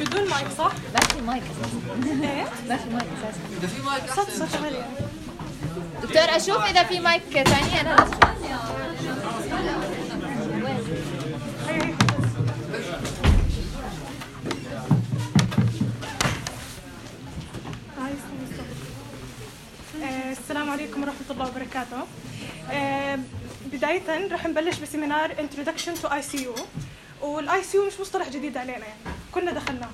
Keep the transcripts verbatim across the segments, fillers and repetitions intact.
بدون مايك صح؟ ما في مايك اساسا. ايه؟ ما في مايك اساسا. اذا في مايك صوت صوت عالي. دكتور اشوف اذا في مايك ثاني انا لازم. السلام عليكم ورحمة الله وبركاته. بداية رح نبلش بسيمينار Introduction to آي سي يو، والآي سي يو مش مصطلح جديد علينا يعني كلنا دخلناها.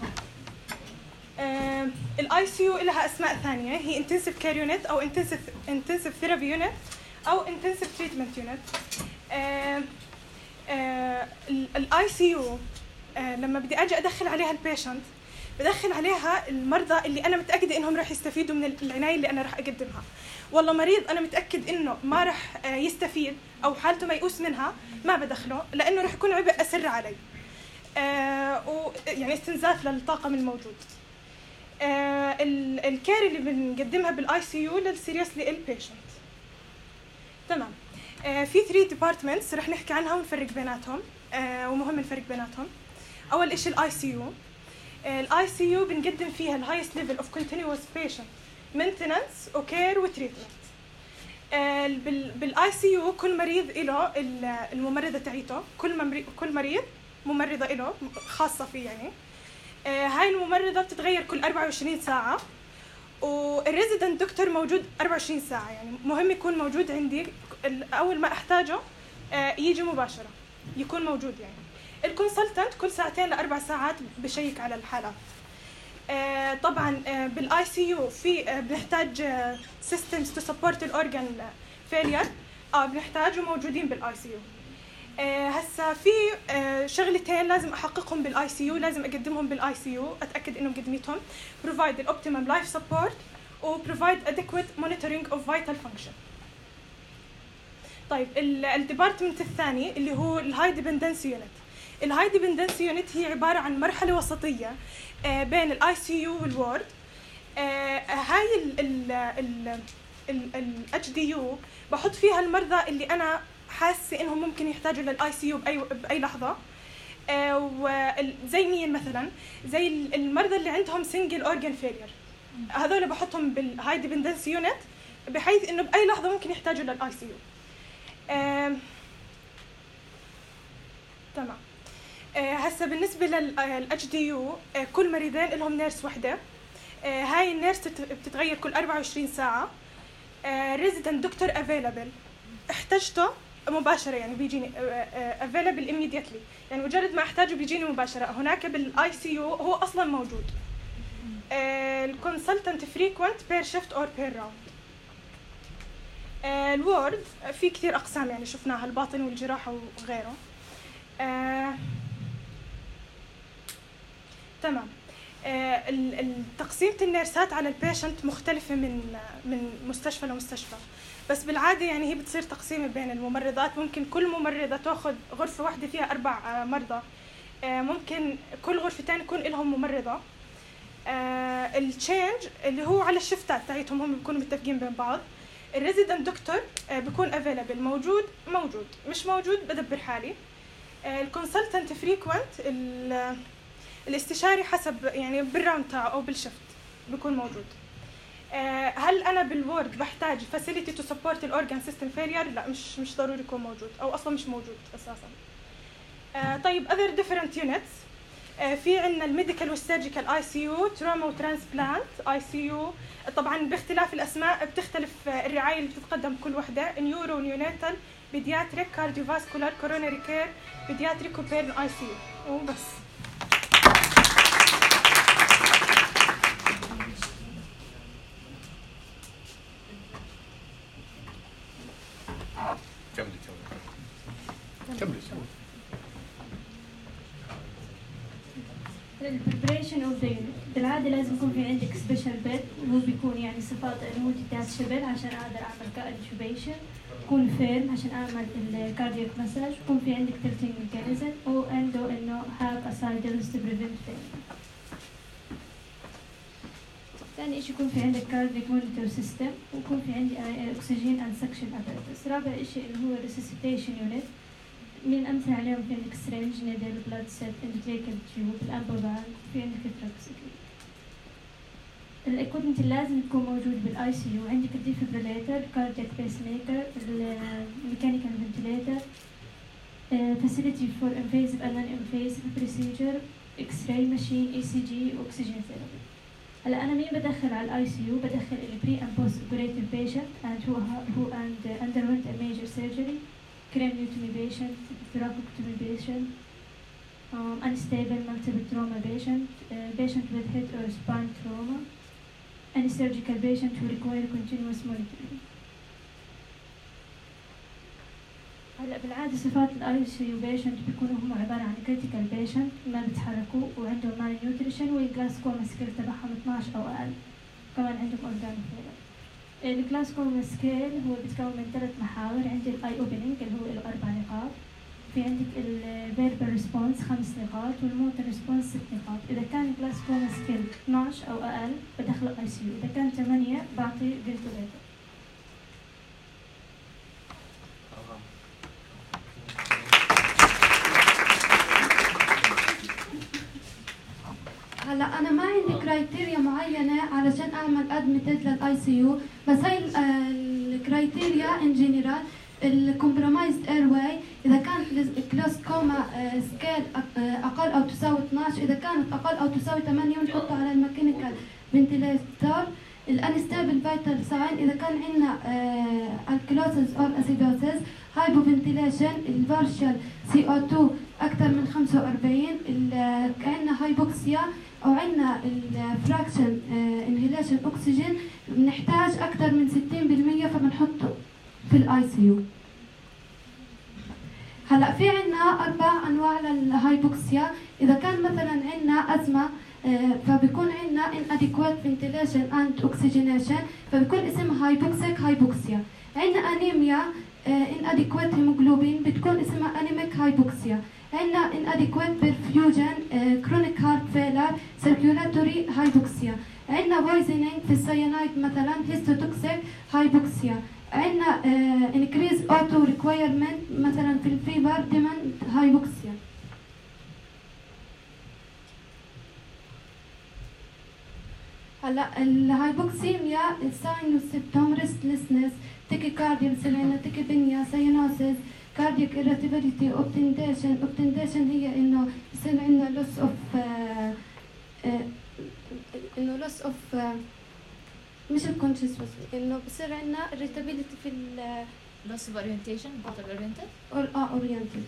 الآي سي يو لها أسماء ثانية، هي Intensive Care Unit أو Intensive Intensive Therapy Unit أو Intensive Treatment Unit. الآي سي يو لما بدي أجي أدخل عليها البيشنت بدخل عليها المرضى اللي أنا متأكدة إنهم راح يستفيدوا من العناية اللي أنا راح أقدمها. والله مريض أنا متأكد إنه ما راح يستفيد أو حالته ميؤوس منها ما بدخله، لأنه راح يكون عبء أسر علي. آه ويعني استنزاف للطاقم الموجود. آه الكير اللي بنقدمها بالآي سي يو للسيريسلي إل بيشنت. تمام. آه في ثري ديبارتمنتس راح نحكي عنها ونفرق بيناتهم، آه ومهم نفرق بيناتهم. أول إشي الآي سي يو. الاي سي يو بنقدم فيها الهايست ليفل اوف كونتينيوس بيشنت مينتننس وكير وتريتمنت. بالاي سي يو كل مريض له الممرضه تاعيته، كل كل مريض ممرضه له خاصه فيه يعني. هاي الممرضه بتتغير كل أربعة وعشرين ساعه، والريزيدنت دكتور موجود أربعة وعشرين ساعه، يعني مهم يكون موجود عندي اول ما احتاجه يجي مباشره يكون موجود يعني. الكونسلتنت كل ساعتين لأربع ساعات بشيك على الحالات. آه طبعا آه بالاي سي يو في آه بنحتاج سيستمز تو سبورت الاورجان فيلير، اه بنحتاجه موجودين بالاي سي يو. آه هسا في آه شغلتين لازم احققهم بالاي سي يو، لازم اقدمهم بالاي سي يو، اتاكد انه مقدمتهم. provide الاوبتيمم لايف سبورت و provide adequate monitoring of vital function. طيب الديبارتمنت الثاني اللي هو الهاي ديبندنسي يونت. الهاي ديبندنسي يونت هي عباره عن مرحله وسطيه بين الاي سي يو والوورد. هاي الاتش دي يو بحط فيها المرضى اللي انا حاسه انهم ممكن يحتاجوا للاي سي يو باي باي لحظه، زي مين مثلا؟ زي المرضى اللي عندهم سنجل اورجان فيلير، هذول بحطهم بالهاي ديبندنسي يونت بحيث انه باي لحظه ممكن يحتاجوا للاي سي يو. تمام. هسه بالنسبه للاتش دي يو كل مريضين لهم نيرس وحده. هاي النيرس بتتغير كل أربعة وعشرين ساعه. ريزيدنت دكتور افيلابل، احتجته مباشره يعني بيجيني افيلابل ايميديتلي، يعني مجرد ما احتاجه بيجيني مباشره. هناك بالاي سي يو هو اصلا موجود. الكونسلتنت فريكوينت بير شيفت اور بير راوند. الوورد في كثير اقسام يعني شفناها، الباطن والجراحه وغيره. آه تمام. آه التقسيمة النيرسات على البيشنت مختلفة من من مستشفى لمستشفى، بس بالعادة يعني هي بتصير تقسيمة بين الممرضات. ممكن كل ممرضة تاخذ غرفة واحدة فيها أربع آه مرضى، آه ممكن كل غرفتين يكون لهم ممرضة. آه التشينج اللي هو على الشفتات تاعتهم هم بيكونوا متفقين بين بعض. الريزيدنت دكتور آه بيكون افيلابل، موجود موجود، مش موجود بدبر حالي. الكونسلتنت فريكوينت الاستشاري حسب يعني بالراوند تاعه او بالشفت بيكون موجود. هل انا بالوورد بحتاج فاسيليتي تو سبورت الاورجان سيستم فيلير؟ لا، مش مش ضروري يكون موجود او اصلا مش موجود اساسا. طيب اذر ديفرنت يونتس، في عندنا الميديكال والسيرجيكال اي سي يو، تروما وترانسبلانت اي سي يو. طبعا باختلاف الاسماء بتختلف الرعايه اللي بتتقدم كل وحده. نيورو ونيوناتال، بيدياتريك، كارديوفاسكولار، كورونري كير، بيدياتريك وبيرن اي سي يو وبس. كملي كملي كملي. البريبريشن اوف ذا يونت بالعاده لازم يكون في عندك سبيشال بيد، وهو بيكون يعني صفات انه جدات شبل عشان اقدر اعمل كانتوبيشن، يكون فيرم عشان اعمل الكاردياك مساج، يكون في عندك تلتين ميكانيزم، وعنده انه هاك اسايدلز تو بريفنت فيلير. ثاني شيء يكون في عندك كاردياك مونيتور سيستم، ويكون في عندي اكسجين اند سكشن اباراتس. رابع شيء اللي هو ريسيسيتيشن يونت، من الأمثلة عليهم في عندك سرنج، نيدل، بلاد سيت، انتريكال تيوب، الأمبوبان، في عندك التراكسيكل. الإكويبمنت اللي لازم يكون موجود بالآي سي يو عندك الديفبريليتر، كاردياك بيس ميكر، الميكانيكال فنتليتر، فاسيلتي فور انفيزيف اند نون انفيزيف بروسيجر، اكس راي ماشين، اي سي جي، واكسجين ثيرابي. هلا انا مين بدخل على الاي سي يو؟ بدخل البري اند بوست اوبريتيف بيشنت اند هو هو اند underwent a major surgery, craniotomy patient, thoracotomy patient, um, unstable multiple trauma patient, uh, patient with head or spine trauma, any surgical patient who require continuous monitoring. هلا بالعادة صفات الاي سي يو بيشنت بيكونوا هم عبارة عن كريتيكال بيشنت ما بيتحركوا وعندهم مال نيوتريشن والجلاسكوما سكيل تبعهم اثناش او اقل، كمان عندهم اورجانيك فيلر. الجلاسكوما سكيل هو بيتكون من ثلاث محاور، عندي الاي اوبننج اللي هو له اربع نقاط، في عندك الفيربال ريسبونس خمس نقاط، والموتور ريسبونس ست نقاط. اذا كان الجلاسكوما سكيل اثناش او اقل بدخله اي سي يو، اذا كان ثمانية بعطي فنتليتر. هلا انا ما عندي كرايتيريا معينه علشان اعمل ادميتد للاي سي يو، بس هاي الكرايتيريا ان جنرال الكومبرومايزد اير واي، اذا كان الجلاسكوما سكيل اقل او تساوي اثناش، اذا كانت اقل او تساوي ثمانية بنحطها على الميكانيكال فنتيليتر. الانستابل فيتال ساين اذا كان عندنا الكلوسيس او اسيدوسيس، هايبوفنتيليشن، البارشال سي او اثنين اكثر من خمسة وأربعين، عندنا هايبوكسيا او عندنا الفراكشن انهيليشن اكسجين بنحتاج اكثر من ستين بالمية فبنحطه في الاي سي يو. هلا في عندنا اربع انواع للهايبوكسيا، اذا كان مثلا عندنا ازمه فبيكون عندنا inadequate ventilation and oxygenation فبيكون اسمها هايبوكسيك هايبوكسيا. عندنا انيميا inadequate hemoglobin بتكون اسمها anemic هايبوكسيا. عندنا inadequate perfusion chronic heart failure circulatory هايبوكسيا. عندنا poisoning في السيانايد مثلا histotoxic هايبوكسيا. عندنا increase auto requirement مثلا في الفيبر demand هايبوكسيا. هلا الهايبوكسيميا الساين والسيمتوم ريستلسنس، تيكيكارديا، بصير تيكيبينيا، ساينوسيس، كاردياك irritability، اوبتنديشن. اوبتنديشن هي انه بصير عندنا لوس اوف انه لوس اوف مش الكونشس بس انه بصير عندنا irritability في ال loss of orientation total oriented or اه oriented.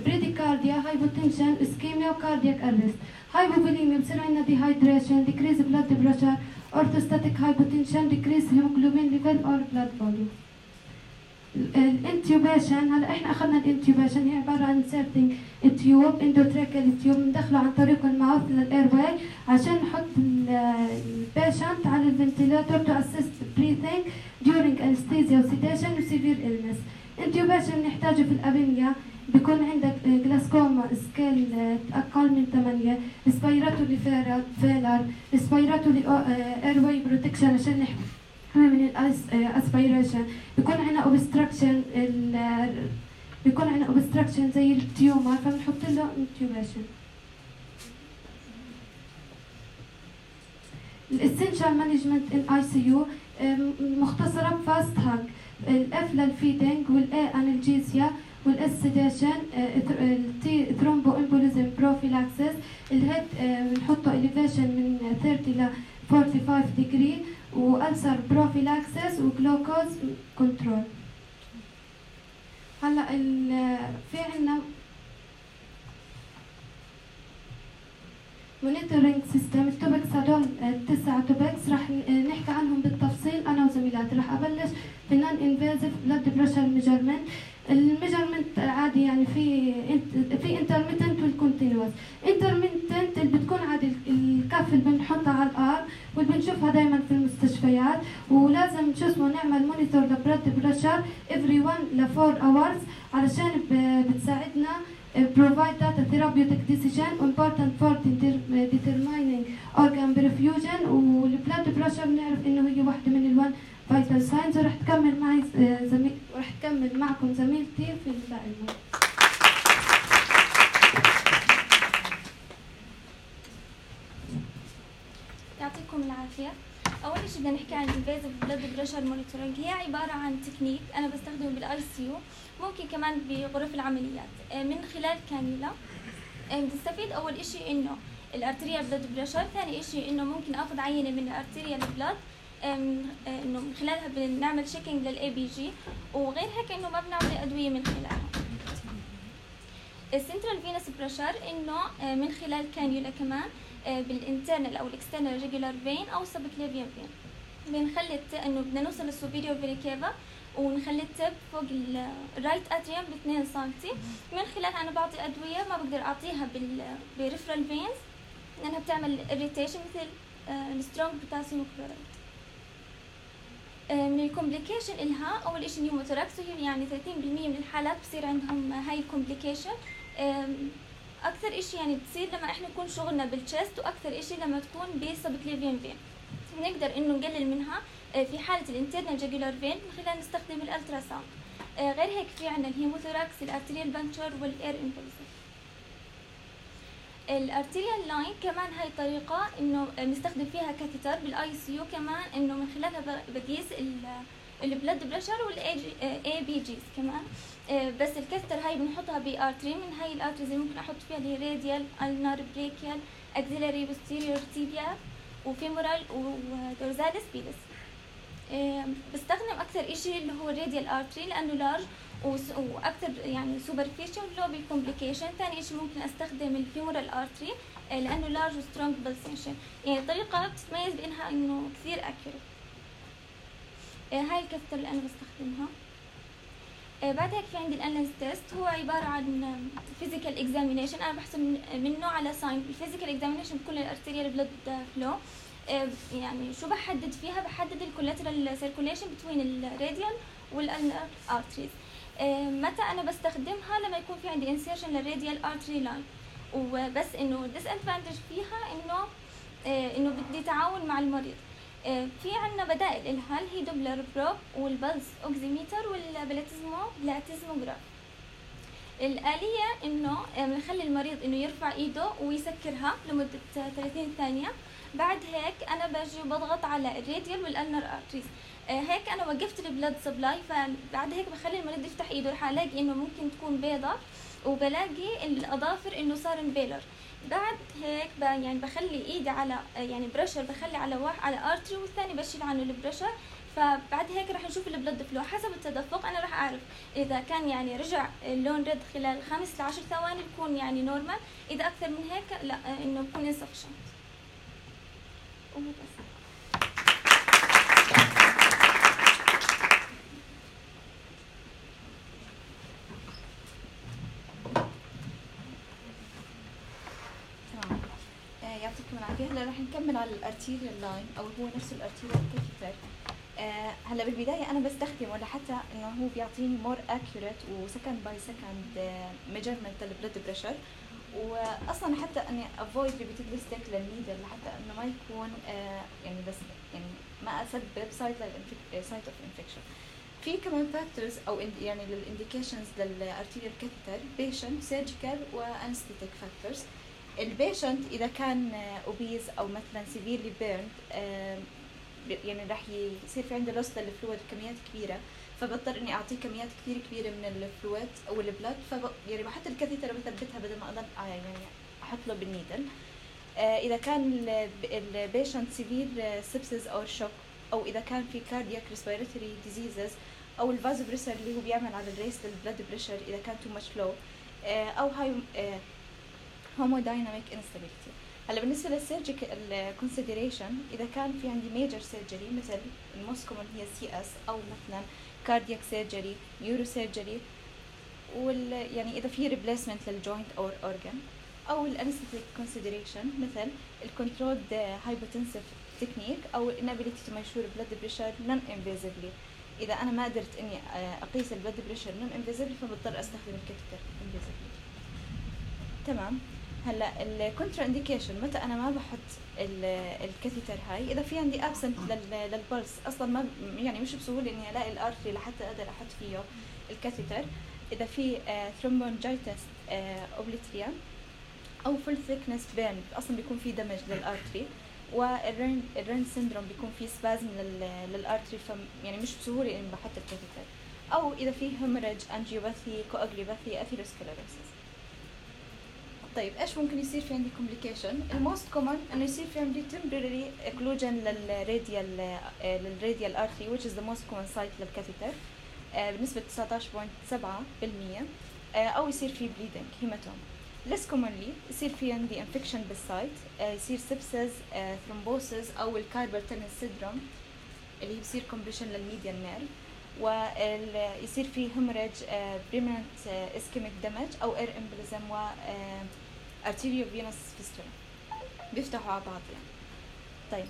بريديكارديا، هايبوتنشن، اسكيميا، وكاردياك ارست. هايبوفوليميا بصير عندنا ديهايدريشن، decrease blood pressure، orthostatic hypotension، decrease hemoglobin level or blood volume. الانتيوبيشن هلا احنا اخذنا الانتيوبيشن هي عباره عن inserting التيوب اندوتراكيال تيوب بندخله عن طريق الماوث للاير واي عشان نحط البيشنت على الفنتيلاتور to assist breathing during anesthesia و sedation و severe illness. انتيوبيشن نحتاجه في الابنيا، بيكون عندك جلاسكوما سكيل اقل من ثمانية، ريسبيراتوري فيلر، ريسبيراتوري اير واي بروتكشن عشان نحمي من الاسبيريشن، بيكون عندنا اوبستراكشن بيكون عندنا اوبستراكشن زي التيومر فبنحط له انتيوبيشن. الاسنشال مانجمنت ان اي سي يو مختصره بفاست هاك، الاف للفيدنج، والاي انالجيزيا، والاس سيديشن، التي ثرومبو امبوليزم بروفيلاكسيس. الهيد بنحطه اليفيشن من ثلاثين ل خمسة وأربعين ديجري، والسر بروفيلاكسيس، وجلوكوز كنترول. هلا في عندنا مونيتورينج سيستم. التوبكس هدول التسع توبكس رح نحكي عنهم بالتفصيل انا وزميلاتي. رح ابلش بالنون انفيزيف بلاد بريشر ميجرمنت. الميجرمنت عادي يعني في في انترميتنت والكونتينوس. انترميتنت اللي بتكون عادي الكف اللي بنحطها على الارم واللي بنشوفها دائما في المستشفيات، ولازم شو اسمه نعمل مونيتور لبلاد بريشر افري واحد ل أربعة اورز علشان بتساعدنا provide data therapeutic decision important for determining organ perfusion. والبلاد بريشر بنعرف انه هي واحدة من الوان فايتال ساينز. ورح تكمل معي زميل ورح تكمل معكم زميلتي في الباقي. يعطيكم العافية. أول شيء بدنا نحكي عن invasive blood pressure monitoring. هي عبارة عن تكنيك أنا بستخدمه بالاي سي يو، ممكن كمان بغرف العمليات من خلال كانيولا. بنستفيد أول إشي إنه الارتريال بلاد بريشر، ثاني إشي إنه ممكن آخذ عينة من الارتريال بلاد إنه من خلالها بنعمل شيكينج للأي بي جي، وغير هيك إنه ما بنعطي أدوية من خلالها. السنترال فينس بريشر إنه من خلال كانيولا كمان بالانترنال او الاكسترنال ريجولار فين او سبكليفيان فين. بنخلي انه بدنا نوصل للسوبيريور فيني كيفا ونخلي التب فوق الرايت اتريوم ب اثنين سنتي. من خلالها انا بعطي ادويه ما بقدر اعطيها بالريفرال فينز لانها بتعمل اريتيشن مثل السترونج بوتاسيوم كلورايد. من الكومبليكيشن إلها اول شيء نيوموثوركس، وهي يعني ثلاثين بالمئة من الحالات بصير عندهم هاي الكومبليكيشن. اكثر اشي يعني بتصير لما احنا نكون شغلنا بالتشست، واكثر اشي لما تكون بسبكليفيان فين. بنقدر انه نقلل منها في حاله الانترنال جاجولار فين من خلال نستخدم الالترا ساوند. غير هيك في عندنا الهيموثوراكس، الارتريال بانكشر والاير امبولسيف. الارتريال لاين كمان هاي طريقه انه بنستخدم فيها كاثيتر بالاي سي يو، كمان انه من خلالها بقيس البلد بريشر والاي بي جيز كمان. بس الكاثتر هاي بنحطها بارتري، من هاي الارتريز اللي ممكن احط فيها اللي هي راديال، النار، بريكيال، اكزيلاري، بوستيريور تيبيا، وفيمورال، ودورزاليس بيدس. بستخدم اكثر اشي اللي هو الراديال ارتري لانه لارج واكثر يعني سوبرفيشال لو بالكومبليكيشن. ثاني اشي ممكن استخدم الفيمورال ارتري لانه لارج وسترونج بالسنشن. يعني طريقه بتتميز بانها انه كثير اكيوريت. هاي الكاثتر اللي انا بستخدمها. بعد هيك في عندي الانلنس تيست، هو عباره عن فيزيكال اكزامينيشن. انا بحسب منه على ساين الفيزيكال اكزامينيشن بكل الارتريال بلد فلو. يعني شو بحدد فيها؟ بحدد الكولاترال سيركوليشن بين الراديال والانر ارتريز. متى انا بستخدمها؟ لما يكون في عندي انسيرشن للراديال ارتري لاين. وبس انه الديس ادفانتج فيها انه انه بدي تعاون مع المريض. في عنا بدائل إلها اللي هي دوبلر بروب والبلس اوكسيميتر والبلاتيزمو بلاتيزموغراف. الآلية إنه بنخلي المريض إنه يرفع إيده ويسكرها لمدة ثلاثين ثانية. بعد هيك أنا بجي وبضغط على الراديال والألنر أرتريز. هيك أنا وقفت البلد سبلاي، فبعد هيك بخلي المريض يفتح إيده، رح ألاقي إنه ممكن تكون بيضة، وبلاقي الأظافر إنه صار امبيلر. بعد هيك يعني بخلي ايدي على يعني بريشر، بخلي على واحد على ارتري والثاني بشيل عنه البريشر. فبعد هيك رح نشوف البلد فلو حسب التدفق. انا رح اعرف اذا كان يعني رجع اللون ريد خلال خمس لعشر ثواني بكون يعني نورمال، اذا اكثر من هيك لا انه بكون انسفشنت. وبس. يعطيكم العافية. هلا رح نكمل على الارتيريال لاين او هو نفس الارتيريال كاثيتر. آه هلا بالبداية انا بستخدمه لحتى انه هو بيعطيني مور اكيوريت وسكند باي سكند ميجرمنت للبلد بريشر، واصلا حتى اني افويد ريبيتد ستيك للنيدل لحتى انه ما يكون آه يعني بس يعني ما اسبب سايت سايت اوف انفكشن. في كمان فاكتورز او يعني للانديكيشنز للارتيريال كاثيتر بيشنت، سيرجيكال، وانستيتيك فاكتورز. البيشنت اذا كان اوبيز او مثلا سيفيرلي بيرند يعني راح يصير في عنده لوس للفلويد بكميات كبيره، فبضطر اني اعطيه كميات كثير كبيره من الفلويد او البلد. ف يعني بحط الكاثيتر بثبتها بدل ما اضل يعني احط له بالنيدل. اذا كان البيشنت سيفير سيبسيس او شوك، او اذا كان في كاردياك ريسبيراتوري ديزيزز، او الفازو بريشر اللي هو بيعمل على الريس للبلد بريشر اذا كان تو ماتش لو، او هاي هومودايناميك انستابيليتي. هلا بالنسبه للسيرجيكال كونسيدريشن، اذا كان في عندي ميجر سيرجري مثل الموست كومن هي سي اس، او مثلا كاردياك سيرجري، نيورو سيرجري، وال يعني اذا في ريبليسمنت للجوينت او اورجان، او الانستيك كونسيدريشن مثل الكنترولد هايبوتنسيف تكنيك او الانابيليتي تو ميجر بلد بريشر نون انفيزيفلي. اذا انا ما قدرت اني اقيس البلد بريشر نون انفيزيفلي فبضطر استخدم الكاثيتر انفيزيفلي. تمام. هلا الكونترا انديكيشن، متى انا ما بحط الكاثيتر هاي؟ اذا في عندي ابسنت للبلس، اصلا ما يعني مش بسهوله اني الاقي الارتري لحتى اقدر احط فيه الكاثيتر. اذا في ثرومبونجايتس اوبليتريا او فول ثيكنس بيرن، اصلا بيكون في دمج للارتري. والرين الرين سيندروم بيكون في سبازم للارتري، يعني مش بسهوله اني بحط الكاثيتر، او اذا في هيموريج، انجيوباثي، كواجلوباثي، اثيروسكليروسيس. طيب ايش ممكن يصير في عندي كومبليكيشن؟ الموست كومن انه يصير في عندي temporary occlusion للراديال للراديال ارتري which is the most common site للكاثيتر بنسبه تسعة عشر فاصلة سبعة بالمية، او يصير في bleeding هيماتوم. less commonly يصير في عندي infection بالسايت، يصير sepsis، thrombosis او الكاربال تنل syndrome اللي هي بصير compression للميديال نيرف، ويصير في hemorrhage، permanent ischemic damage او air embolism و arteriovenous fistula بيفتحوا على بعض يعني. طيب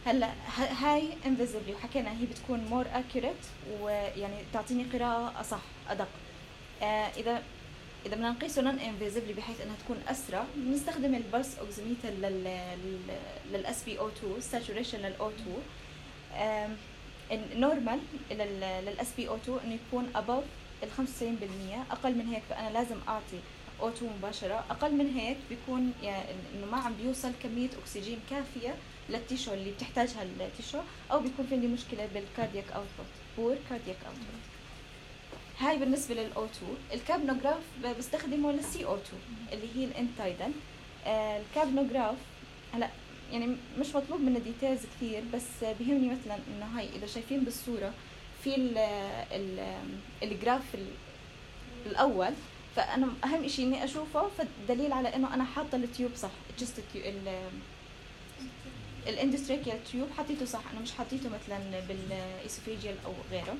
هلا هاي انفيزبلي وحكينا هي بتكون مور accurate ويعني تعطيني قراءة أصح أدق. آه إذا إذا بدنا نقيسه نون انفيزبلي بحيث إنها تكون أسرع، بنستخدم البلس أوكسيميتر لل لل إس بي أو تو saturation لل أو تو. النورمال لل إس بي أو تو إنه يكون above ال خمسة وتسعين بالمية، أقل من هيك فأنا لازم أعطي أو تو مباشرة، أقل من هيك بيكون يعني إنه ما عم بيوصل كمية أكسجين كافية للتيشو اللي بتحتاجها التيشو، أو بيكون في عندي مشكلة بالكاردياك أوتبوت، بور كاردياك أوتبوت. هاي بالنسبة للأو تو. الكابنوغراف بستخدمه للسي أو تو اللي هي الانتايدن. آه الكابنوغراف هلا يعني مش مطلوب منه ديتيلز كثير، بس بيهمني مثلا إنه هاي إذا شايفين بالصورة في ال ال الجراف الأول، فأنا أهم إشي إني أشوفه فدليل على إنه أنا حاطة التيوب صح، جست ال الاندستريكيال تيوب حطيته صح، أنا مش حطيته مثلا بالإيسوفيجيال أو غيره.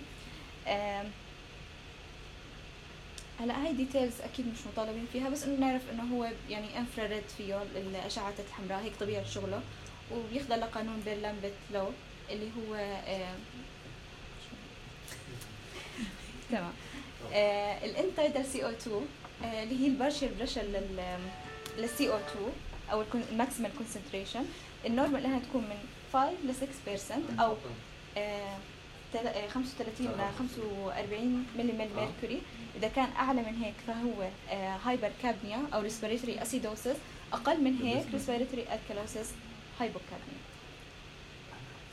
هلا هاي ديتيلز أكيد مش مطالبين فيها، بس إنه نعرف إنه هو يعني انفراريد فيه الأشعة الحمراء، هيك طبيعة شغله، وبيخضع لقانون بيرلامبت لو اللي هو تمام. الانتايدال سي او تو اللي هي البارشل بريشر للسي او تو او الماكسيمال كونسنتريشن، النورمال انها تكون من خمسة ل ستة بالمية او خمسة وثلاثين ل خمسة وأربعين ملم ميركوري. اذا كان اعلى من هيك فهو هايبر كابنيا او ريسبيريتوري اسيدوسيس، اقل من هيك ريسبيريتوري الكالوسيس هايبوكابنيا.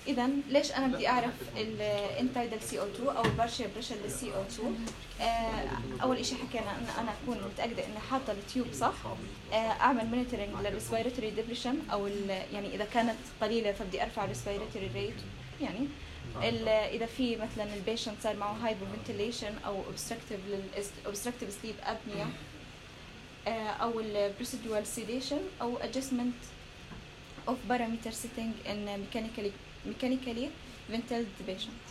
اذا ليش انا بدي اعرف الانتايدال سي او تو او البارشل بريشر للسي او تو؟ آه اول شيء حكينا ان انا اكون متاكده اني حاطه التيوب صح، آه اعمل مونيتورنج للريسبيريتوري ديبريشن او يعني اذا كانت قليله فبدي ارفع الريسبيريتوري ريت، يعني اذا في مثلا البيشنت صار معه هايبو فنتيليشن او اوبستراكتيف اوبستراكتيف سليب ابنيا، آه او البروسيدوال سيديشن او ادجستمنت of parameter setting in mechanically mechanically ventiled patient.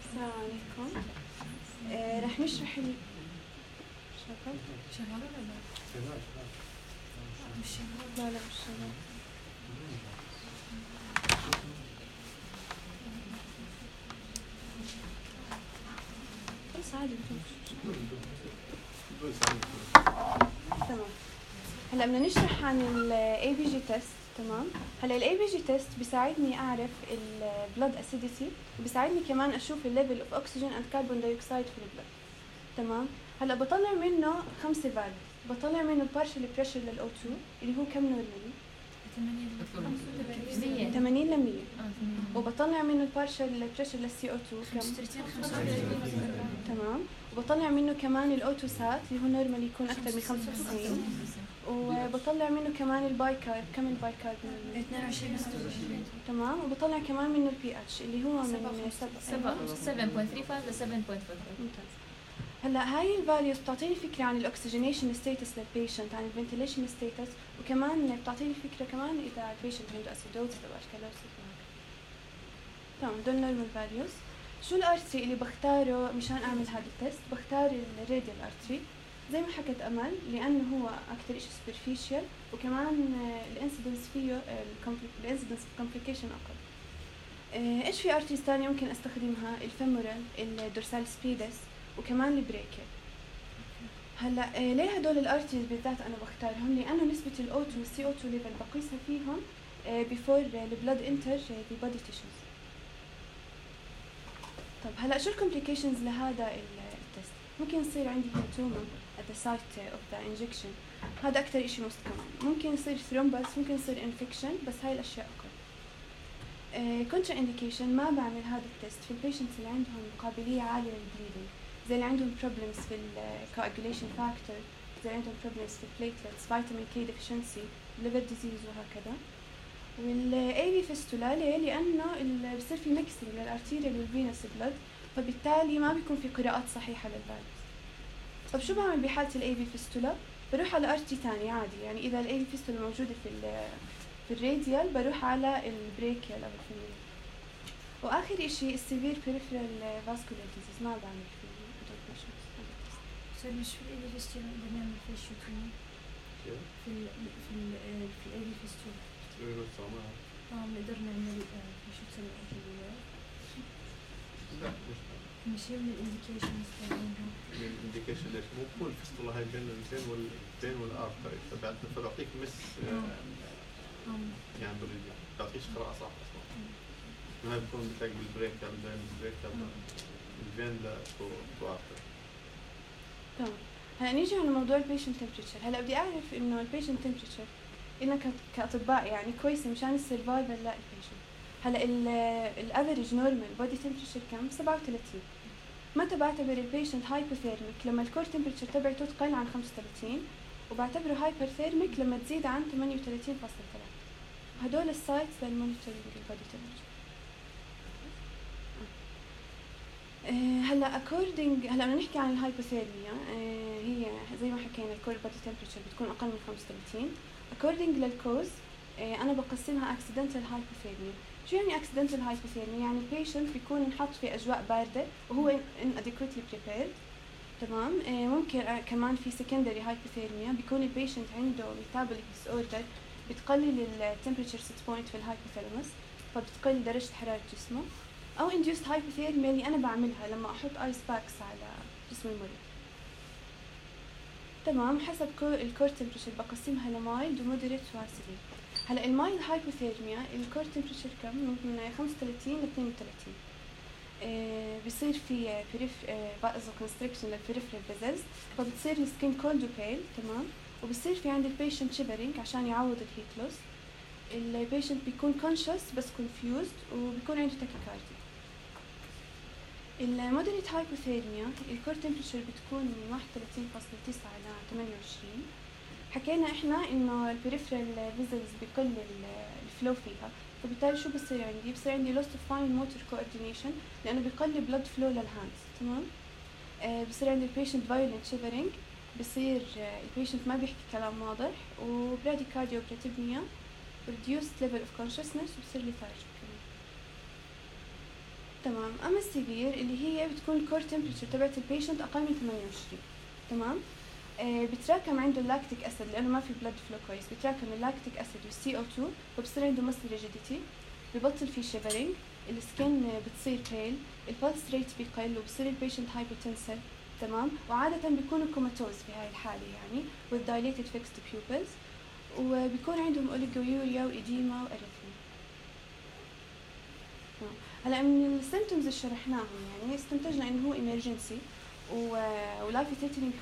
السلام عليكم. آه رح نشرح ال شغال شغال ولا لا؟ مش شغال. لا لا مش شغال. عادي. تمام. هلا بدنا نشرح عن ال إيه بي جي test. تمام. هلا ال إيه بي جي test بيساعدني اعرف ال blood acidity، وبيساعدني كمان اشوف ال level of oxygen and carbon dioxide في البلد. تمام. هلا بطلع منه خمسة values، بطلع منه partial pressure لل أو تو اللي هو كم نورمالي؟ ثمانين ل مية. وبطلع منه البارشل بريشر للسي او تو كم؟ تمام. وبطلع منه كمان الاوتو سات اللي هو نورمالي يكون اكثر من خمسة وتسعين، وبطلع منه كمان الباي كارب. كم الباي كارب؟ اثنين وعشرين. تمام. وبطلع كمان منه البي اتش اللي هو من سبعة سبعة فاصلة ثلاثة وثلاثين ل سبعة فاصلة أربعة. ممتاز. هلا هاي الفاليوز بتعطيني فكره عن الاكسجينيشن ستاتس للبيشنت، عن الفنتيليشن ستاتس، وكمان بتعطيني فكره كمان اذا البيشنت عنده اسيدوزس او اشكالوسيس. تمام. دول نورمال فاليوز. شو الارتري اللي بختاره مشان اعمل هذا التست؟ بختار الراديال ارتري زي ما حكت امل، لانه هو اكثر شيء سوبرفيشال، وكمان الانسيدنس فيه الانسيدنس كومبليكيشن اقل. ايش في ارتريز ثانيه ممكن استخدمها؟ الفيمورال، الدورسال سبيدس، وكمان البريكل. هلا ليه هدول الارتريز بالذات انا بختارهم؟ لانه نسبه الاو تو والسي او تو ليفل بقيسها فيهم بيفور البلاد انتر ذا بودي تيشوز. طب هلا شو الكومبليكيشنز لهذا التست؟ ممكن يصير عندي هيماتوما at the site of the injection، هذا أكثر إشي most common. ممكن يصير ثرومبس، ممكن يصير infection، بس هاي الأشياء أقل. كونترا انديكيشن ما بعمل هذا التست في البيشنتس اللي عندهم قابلية عالية للبليدنج، زي اللي عندهم problems في الكواجوليشن فاكتور، زي اللي عندهم problems في البليتلتس، فيتامين كي deficiency، liver disease وهكذا. والاي بي فيستولا ليه؟ لأنه بصير في ميكسينج للارتيريال والفينوس بلد، فبالتالي ما بيكون في قراءات صحيحة للفيروس. طب شو بعمل بحالة الاي بي فيستولا؟ بروح على ارتي ثاني عادي، يعني إذا الاي بي فيستولا موجودة في في الراديال بروح على البريكيال أو الفيميل. وآخر إشي السيفير peripheral vascular disease ما بعمل فيه سوري، مش في الاي بي فيستولا نقدر نعمل فيه شو ثاني؟ في ال في ال في الاي بي فيستولا اه بنقدر نعمل شو تسمى كده؟ لا مش مش هي من الانديكيشنز تبعها. الانديكيشن ليش؟ مو كل الفستولة هاي بين الفين والفين والارتري، فبعد فبعطيك مس يعني بريديا، بتعطيش قراءة صح أصلا. ما بيكون بتلاقي بالبريك بين البريك الفين لا تو تو ارتري. تمام. هلا نيجي على موضوع البيشنت تمبريتشر. هلا بدي أعرف إنه البيشنت تمبريتشر إنك كأطباء يعني كويسة مشان السرفايفل لا البيشنت. هلا الافريج نورمال بودي تمبريتشر كم؟ سبعة وثلاثين. متى بعتبر البيشنت هايبوثيرميك؟ لما الكور تمبريتشر تبعته تقل عن خمسة وثلاثين، وبعتبره هايبرثيرميك لما تزيد عن ثمانية وثلاثين فاصلة ثلاثة. هدول السايتس للمونيتورينج البودي تمبريتشر. هلا اكوردنج هلا بدنا نحكي عن الهايبوثيرميا. أه هي زي ما حكينا الكور بودي تمبريتشر بتكون اقل من خمسة وثلاثين. اكوردنج للكوز أه انا بقسمها اكسيدنتال هايبوثيرميا. شو يعني اكسيدنتال هايبوثيرميا؟ يعني البيشنت بيكون انحط في اجواء بارده وهو inadequately prepared. تمام. أه ممكن أه كمان في secondary هايبوثيرميا، بيكون البيشنت عنده metabolic disorder بتقلل التمبريتشر set point في الهايبوثالاموس، فبتقل درجه حراره جسمه. او induced hypothermia اللي انا بعملها لما احط ايس باكس على جسم المريض. تمام. حسب الكور تمبريتشر بقسمها لمايلد ومودريت وسيفير. هلا المايلد هايبوثيرميا الكور تمبريتشر كم؟ من خمسة وثلاثين ل اثنين وثلاثين. آه بيصير في بريف بازو كونستريكشن للبريفرال فيزلز، فبتصير السكين كولد وبيل. تمام. وبصير في عند البيشنت شيفرينج عشان يعوض الهيت لوس. البيشنت بيكون conscious بس confused وبيكون عنده تاكيكارديا. المودريت هايبوثيرميا الكور تمبريتشر بتكون من واحد وثلاثين فاصلة تسعة ل ثمانية وعشرين. حكينا احنا انه البريفرال فيزلز بقل الفلو فيها، فبالتالي شو بصير عندي؟ بصير عندي loss of fine motor coordination لانه بقل blood flow للهاندز. تمام. آه بصير عندي البيشنت violent shivering، بصير آه البيشنت ما بيحكي كلام واضح، وبراديكارديا وبراتيبنيا، reduced level of consciousness، وبصير lethargic. تمام. اما السيفير اللي هي بتكون الكور تمبريتشر تبعت البيشنت اقل من ثمانية وعشرين. تمام. آه بتراكم عنده اللاكتيك اسيد لانه ما في بلد فلو كويس، بتراكم اللاكتيك اسيد والسي او اثنين، فبصير عنده مسل ريجيديتي، ببطل في شيفرينج، السكين بتصير بيل، البلس ريت بيقل، وبصير البيشنت هايبوتنسل. تمام. وعاده بيكونوا كوماتوز في هاي الحاله يعني with dilated fixed pupils، وبيكون عندهم اوليجويوريا وايديما واريثميا. هلا من السيمتومز اللي شرحناهم يعني استنتجنا انه هو emergency ولايف ثريتنينج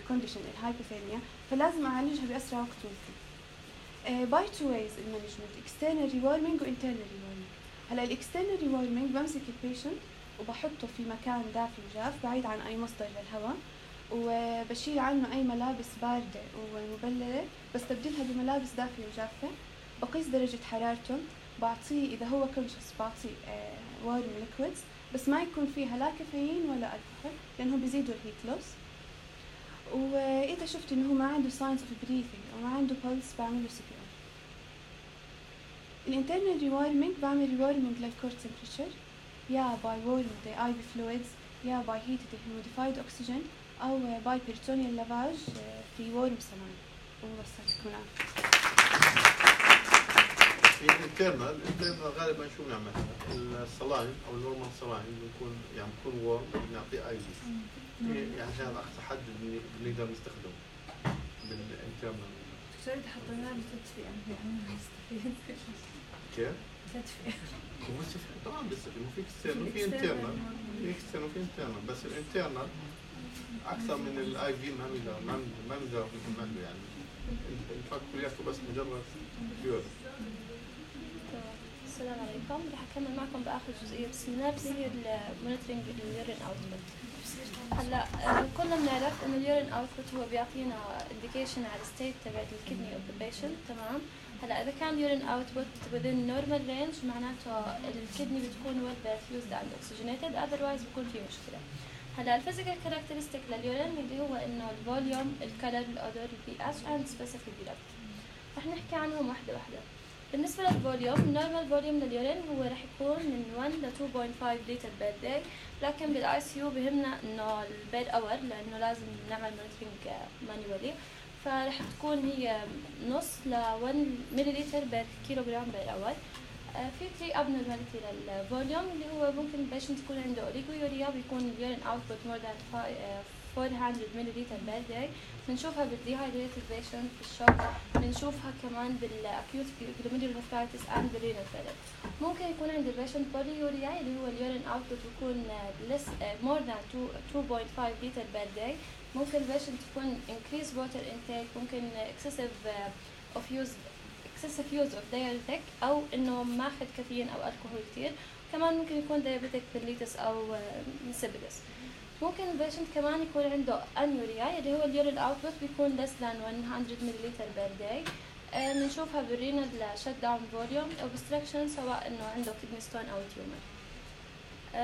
كونديشن الهايبوثيرميا، فلازم اعالجها باسرع وقت ممكن. باي تو ويز المانجمنت، اكسترنال ريورمينج وانترنال ريورمينج. هلا الاكسترنال ريورمينج بمسك البيشنت وبحطه في مكان دافي وجاف بعيد عن اي مصدر للهواء، وبشيل عنه اي ملابس بارده ومبلله، بستبدلها بملابس دافيه وجافه، بقيس درجه حرارته، بعطيه اذا هو كونشس بعطيه وارم ليكويدز بس ما يكون فيها لا كافيين ولا الكحول لانه بيزيدوا الهيت لوس. واذا شفت انه هو ما عنده ساينز اوف بريثنج او ما عنده بلس بعمل له سي بي ار. الانترنال ريوارمينج بعمل ريوارمينج للكور تمبريتشر يا باي وورمينج ذا اي في فلويدز يا باي هيتد هيموديفايد اوكسجين او باي بيريتونيال لافاج في وورم سلاين. وبس هتكون عارفه. الانترنال الانترنال غالبا شو بنعمل؟ الصلاين او النورمال صلاين بنكون يعني بنكون وورم بنعطيه اي بي يعني عشان اقصى حد بنقدر نستخدمه بالانترنال. دكتور اذا حطيناه بتدفي يعني يستفيد. كيف؟ هو صفر طبعا بس في اكسترنال وفي انترنال، في اكسترنال وفي انترنال، بس الانترنال اكثر من الاي في ما بنقدر ما بنقدر نعمله يعني الفرق كلياته بس مجرد بيور. السلام عليكم، رح اكمل معكم باخر جزئيه بالسينابس هي المونيتورنج اليورين اوتبوت. هلا كلنا بنعرف انه اليورين اوتبوت هو بيعطينا انديكيشن على الستيت تبعت الكدني اوف ذا بيشنت، تمام؟ هلا اذا كان اليورين اوتبوت within normal range معناته الكدني بتكون well perfused and oxygenated، otherwise بكون في مشكله. هلا الفيزيكال كاركترستيك لليورين اللي هو انه الفوليوم، الكلر، الاودر، البي اتش اند سبيسيفيك جرافيتي. رح نحكي عنهم واحده واحده. بالنسبه للفوليوم، النورمال فوليوم لليورين هو رح يكون من واحد ل اثنين فاصلة خمسة لتر بير داي، لكن بالاي سي يو بهمنا انه البير اور لانه لازم نعمل مونيتورنج مانيوالي، فرح تكون هي نص ل واحد مليلتر بير كيلوغرام بير اور. في ثري abnormality للفوليوم اللي هو ممكن البيشنت يكون عنده اوليغويوريا، بيكون اليورين اوتبوت مور ذان أربعمية مليلتر بير داي، بنشوفها بالديهايدريتد بيشنت، بالشوك، بنشوفها كمان بالاكيوت glomerulonephritis اند بالرينال فيلر. ممكن يكون عند البيشنت بوليوريا اللي هو اليورين اوتبوت بيكون less مور ذان اثنين فاصلة خمسة لتر بير داي. ممكن البيشنت يكون increase water intake، ممكن excessive of use excessive use of diuretic او انه ماخذ كافيين او الكحول كثير. كمان ممكن يكون diabetic mellitus او insipidus. ممكن البيشنت كمان يكون عنده انيوريا اللي هو اليورين اوتبوت بيكون less than مية مليلتر بير داي. بنشوفها بالرينال شت داون فوليوم او obstruction، سواء انه عنده كدني ستون او تيومر.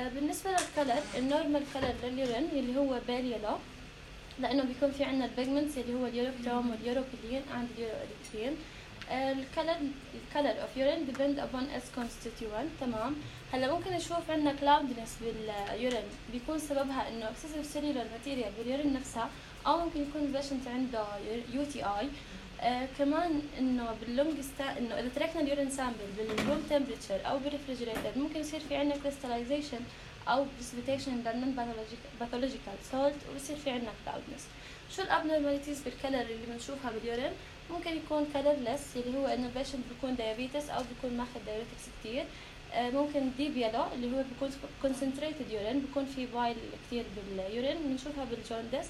بالنسبه للكلر، النورمال كلر لليورين اللي هو بيل يلو، لانه بيكون في عندنا البيجمنتس اللي هو اليوروكروم واليوروبيلين عند اليوروإريثرين. الكلر الكلر اوف يورين depend upon its constituent، تمام؟ هلا ممكن نشوف عندنا cloudiness باليورين بيكون سببها انه excessive cellular material باليورين نفسها، او ممكن يكون البيشنت عنده يو تي اي. آه كمان انه باللونج ستا انه اذا تركنا اليورين سامبل بالروم تمبريتشر او بالريفريجريتر ممكن يصير في عندنا crystallization او precipitation للنون باثولوجيكال سولت، وبصير في عندنا cloudiness. شو الابنورماليتيز بالكلر اللي بنشوفها باليورين؟ ممكن يكون كلرلس اللي هو انه البيشنت بيكون دايابيتس او بيكون ماخذ دايوريتكس كثير. آه ممكن ديب يلو اللي هو بيكون concentrated يورين، بيكون في بايل كثير باليورين، بنشوفها بالجوندس.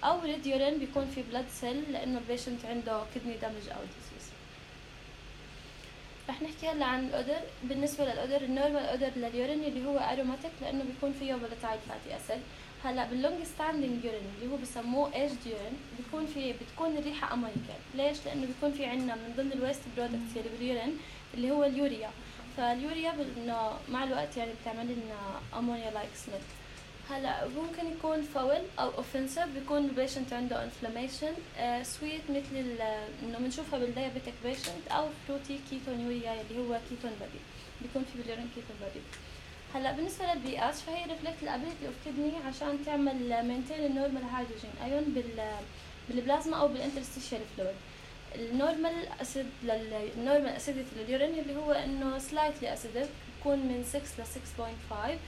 او ريد يورين بيكون في بلاد سيل لانه البيشنت عنده كدني دامج او ديزيز. رح نحكي هلا عن الاودر. بالنسبه للاودر، النورمال اودر لليورين اللي هو اروماتيك لانه بيكون فيه فولاتايل فاتي اسيد. هلا باللونج ستاندينج يورين اللي هو بسموه ايجد يورين بيكون في بتكون الريحه امونيكال. ليش؟ لانه بيكون في عندنا من ضمن الويست برودكتس اللي باليورين اللي هو اليوريا، فاليوريا انه مع الوقت يعني بتعمل لنا امونيا لايك سميل. هلا ممكن يكون فاول او اوفنسيف، بيكون البيشنت عنده انفلاميشن. آه سويت مثل انه بنشوفها بالدايابيتك بيشنت، او فروتي كيتونيوريا اللي هو كيتون بادي، بيكون في باليورين كيتون بادي. هلا بالنسبه للبي اتش فهي ريفلكت الابيلتي اوف كدني عشان تعمل مينتين النورمال هيدروجين ايون بال بالبلازما او بالانترستيشيال فلويد. النورمال اسيد للنورمال اسيديتي لليورين اللي هو انه سلايتلي اسيدك، بيكون من ستة ل ستة فاصلة خمسة.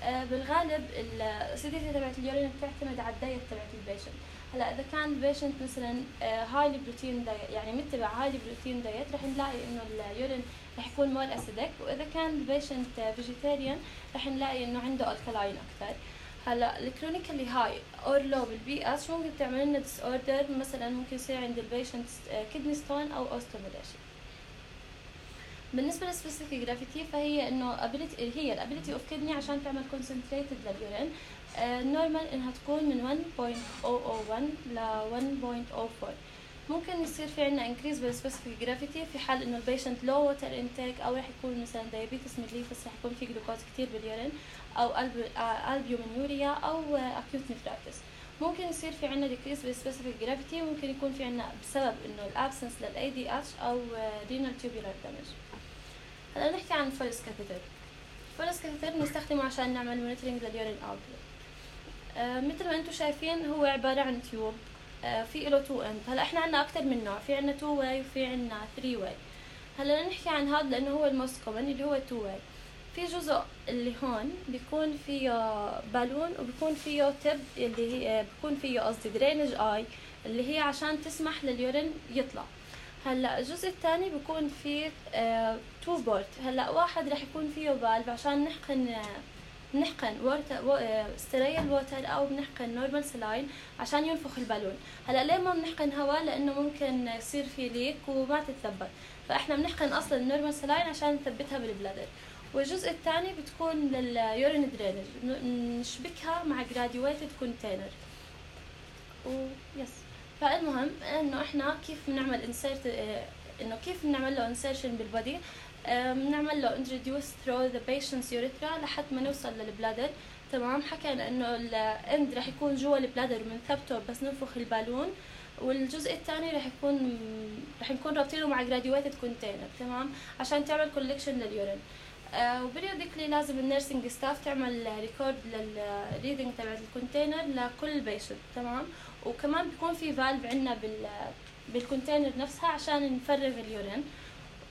آه بالغالب الاسيديتي تبعت اليورين بتعتمد على الدايت تبعت البيشنت. هلا اذا كان البيشنت مثلا هايلي بروتين دايت، يعني متبع هايلي بروتين دايت، رح نلاقي انه اليورين رح يكون مور اسيدك. واذا كان البيشنت فيجيتيريان رح نلاقي انه عنده الكلاين اكثر. هلا الكلينيكالي هاي اور لو بالبي اتش ممكن تعمل لنا ديس اوردر، مثلا ممكن يصير عند البيشنت كدني ستون او اوستوميلاشيا. بالنسبه للسبيسيفيك جرافيتي فهي انه ابيليتي هي الابيليتي اوف كدني عشان تعمل كونسنتريتد لليورين. النورمال انها تكون من واحد فاصلة صفر صفر واحد ل واحد فاصلة صفر أربعة. ممكن يصير في عندنا انكريز بالسبيسيفيك جرافيتي في حال انه البيشنت لو ووتر انتيك، او رح يكون مثلا دايابيتس ميليتس رح يكون في جلوكوز كثير باليورين، او البيومينيوريا او اكيوت نفرايتس. ممكن يصير في عندنا ديكريز بالسبيسيفيك جرافيتي، ممكن يكون في عندنا بسبب انه الابسنس للاي دي اتش او رينال تيوبولار دامج. هلا نحكي عن الفولس كاثيتر. الفولس كاثيتر بنستخدمه عشان نعمل مونيتورنج لليورين اوتبوت. آه مثل ما انتم شايفين هو عباره عن تيوب، آه في له تو اند. هلا احنا عندنا اكثر من نوع، في عندنا تو واي وفي عندنا ثري واي. هلا نحكي عن هذا لانه هو الموست كومن اللي هو تو واي. في جزء اللي هون بيكون فيه بالون وبيكون فيه تب اللي هي بيكون فيه قصدي درينج اي اللي هي عشان تسمح لليورين يطلع. هلا الجزء الثاني بيكون فيه آه تو بورت. هلا واحد رح يكون فيه فالف عشان نحقن آه بنحقن ووتر ستيريل ووتر او بنحقن نورمال سلاين عشان ينفخ البالون. هلا ليه ما بنحقن هواء؟ لانه ممكن يصير في ليك وما تتثبت، فاحنا بنحقن اصلا النورمال سلاين عشان نثبتها بالبلادر. والجزء الثاني بتكون لليورين درينج، نشبكها مع جراديويتد كونتينر ويس. فالمهم انه احنا كيف بنعمل انسيرت انه كيف بنعمل له انسيرشن بالبودي. بنعمل له introduce through the patient's urethra لحد ما نوصل للبلادر. تمام. حكينا انه الاند رح يكون جوا البلادر وبنثبته بس ننفخ البالون، والجزء الثاني رح يكون رح نكون رابطينه مع graduated container. تمام. عشان تعمل collection لليورين. آه وبريوديكلي لازم النيرسينج ستاف تعمل ريكورد للريدنج تبع الكونتينر لكل بيشنت. تمام. وكمان بيكون في فالف عندنا بال بالكونتينر نفسها عشان نفرغ اليورين،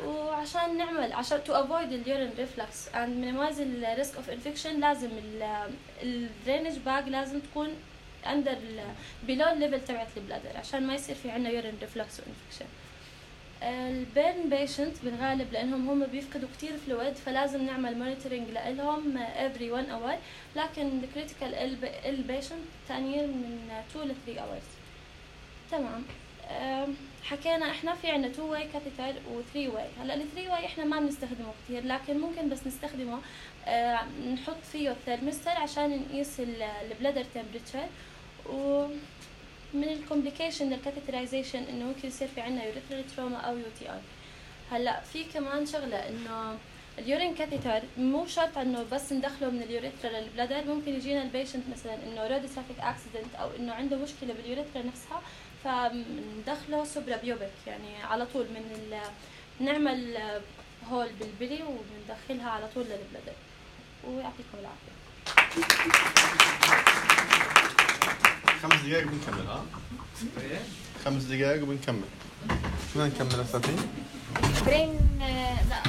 وعشان نعمل عشان تو افويد اليورين ريفلكس اند مينيمايز الريسك اوف انفكشن لازم الدرينج باج لازم تكون اندر بيلو الليفل تبعت البلادر عشان ما يصير في عندنا يورين ريفلكس وانفكشن. البيرن بيشنت بالغالب لانهم هم بيفقدوا كتير فلويد فلازم نعمل مونيتورنج لهم every one hour، لكن الكريتيكال ال بيشنت ثانيين من two ل three hours. تمام. حكينا احنا في عنا two way catheter و three way. هلا ال three way احنا ما بنستخدمه كتير، لكن ممكن بس نستخدمه اه نحط فيه الثيرمستر عشان نقيس البلادر تمبريتشر. ومن الكومبليكيشن للكاثيترايزيشن انه ممكن يصير في عنا يوريثرال تروما او يو تي اي. هلا في كمان شغله انه اليورين كاثيتر مو شرط انه بس ندخله من اليوريثرا للبلادر، ممكن يجينا البيشنت مثلا انه رود ترافيك اكسيدنت او انه عنده مشكله باليوريثرا نفسها فندخله سوبرا بيوبك، يعني على طول من ال... نعمل هول بالبلي وبندخلها على طول للبلادر. ويعطيكم العافيه. خمس دقائق وبنكمل. ها خمس دقائق وبنكمل. شو بدنا نكمل اساتين؟ برين لا